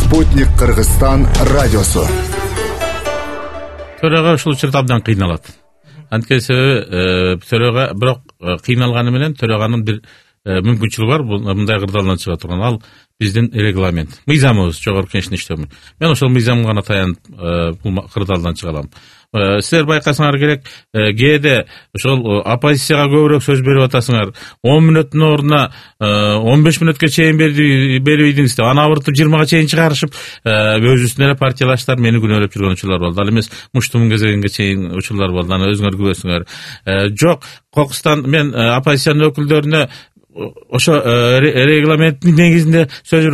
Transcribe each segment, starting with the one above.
Спутник Кыргызстан радиосу. Төрага ушул учурда абдан кыйналат. Анткени төрага бирок кыйналганы менен төраганын бир мүмкүнчүлүгү бар. Мындай кырдаалдан чыга турган ал биздин регламент, мыйзамыбыз, жогорку кеңештин иштөө. Мен ошол мыйзамга гана таянып бул кырдаалдан чыга алам. Силер байкасаңар керек, кээде ошол оппозицияга көбүрөөк сөз берип атасыңар. 10 мүнөттүн ордуна 15 мүнөткө чейин бербейдиңиз деп, аны абыртып 20га чейин чыгарышып, өзүбүздүн эле партиялаштар мени күнөөлөп жүргөн учурлар болду. Ал эмес муштумун кезегинге чейин учурлар болду. Аны өзүңөр күбөсүңөр. Жок, кокустан мен оппозициянын өкүлдөрүнө ошо регламенттин негизинде сөз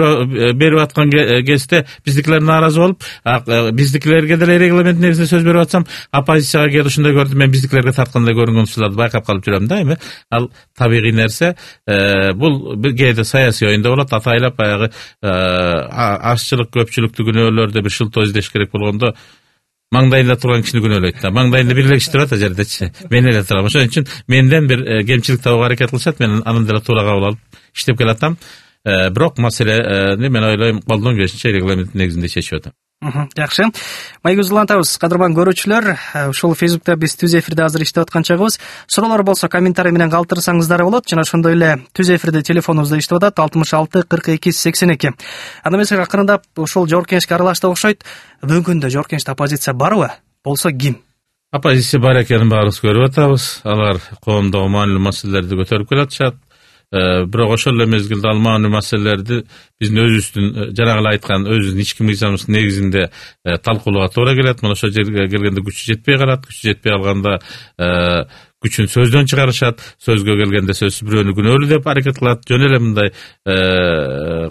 берип аткан кезде биздикилер нааразы болуп, биздикилерге деле регламенттин негизинде сөз берип атсам, оппозицияга кээде ушундай көрдүм, мен биздикилерге тарткандай көрүнгөн учурларды байкап калып жүрөм да. Эми ал табигый нерсе. Бул кээде саясий оюнда болот, атайлап баягы азчылык көпчүлүктү күнөөлөрдө бир шылтоо издеш керек болгондо маңдайында турган кишини күнөөлөйт да. Маңдайында бир эле киши турат жердечи. Мен эле турам. Ошон үчүн менден бир кемчилик табууга аракет кылышат. Мен аны деле туура кабыл алып иштеп келатам. Бирок маселени мен ойлойм колдон келишинче регламенттин негизинде чечип атам. Жакшы. Майгүл улантабыз. Кадырман көрүүчүлөр, ушул Facebook'та биз түз эфирде азыр иштеп аткан чагыбыз. Суроолор болсо комментарий менен калтырсаңыздар болот. Жана ошондой эле түз эфирде телефонубузда иштеп атат 66 42 82. Анда эмесе акырындап ушул жогорку кеңешке аралашты окшойт. Бүгүндө жогорку кеңеште оппозиция барбы? Болсо ким? Оппозиция бар экенин баарыбыз көрүп атабыз. Алар коомдогу маанилүү маселелерди көтөрүп келатышат. Бирок ошол эле мезгилде ал маанилүү маселелерди биздин өзүбүздүн жанагы эле айткан өзүбүздүн ички мыйзамыбыздын негизинде талкуулоого туура келет. Мына ошол жерге келгенде күчү жетпей калат. Күчү жетпей калганда күчүн сөздөн чыгарышат. Сөзгө келгенде сөзсүз бирөөнү күнөөлүү деп аракет кылат. Жөн эле мындай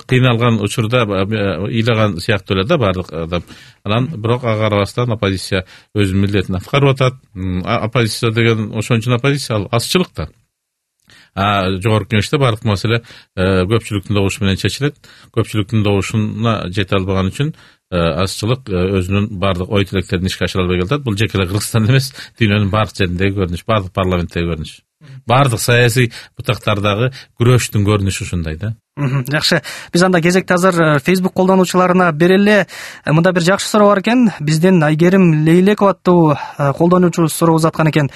кыйналган учурда ыйлаган сыяктуу эле да баардык адам. Анан бирок ага карабастан оппозиция өзүнүн милдетин аткарып атат. Оппозиция деген ошон үчүн оппозиция ал азчылык да. Жогорку кеңеште баардык маселе көпчүлүктүн добушу менен чечилет. Көпчүлүктүн добушуна жете албаган үчүн азчылык өзүнүн баардык ой тилектерин ишке ашыра албай келатат. Бул жеке эле Кыргызстанда эмес, дүйнөнүн баардык жериндеги көрүнүш, баардык парламенттеги көрүнүш. Баардык саясий бутактардагы күрөштүн көрүнүшү ушундай да. Жакшы. Биз анда кезекте азыр Facebook колдонуучуларына берели. Мында бир жакшы суроо бар экен. Бизден Айгерим Лейлекова аттуу колдонуучу суроо узаткан экен.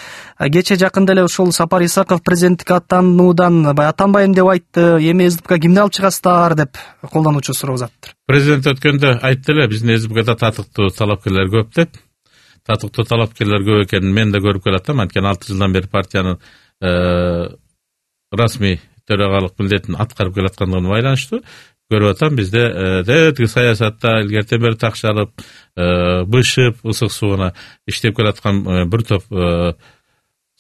Кече жакында эле ушул Сапар Исаков президенттикке аттануудан аттанбайм деп айтты. Эми СДПК кимди алып чыгасыздар деп колдонуучу суроо узаттыр. Президент өткөндө айтты эле, биздин СДПКда татыктуу талапкерлер көп деп. Татыктуу талапкерлер көп экенин мен да көрүп келатам. Анткени 6 жылдан бери партиянын расмий төрагалык милдетин аткарып келаткандыгына байланыштуу көрүп атам. Бизде тиги саясатта илгертен бери такшалып, бышып, ысык сууна иштеп келаткан бир топ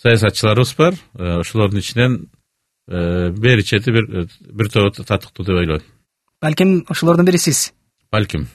саясатчыларыбыз бар. Ошолордун ичинен бери чети бир топ татыктуу деп ойлойм. Балким ошолордун бири сиз. Балким.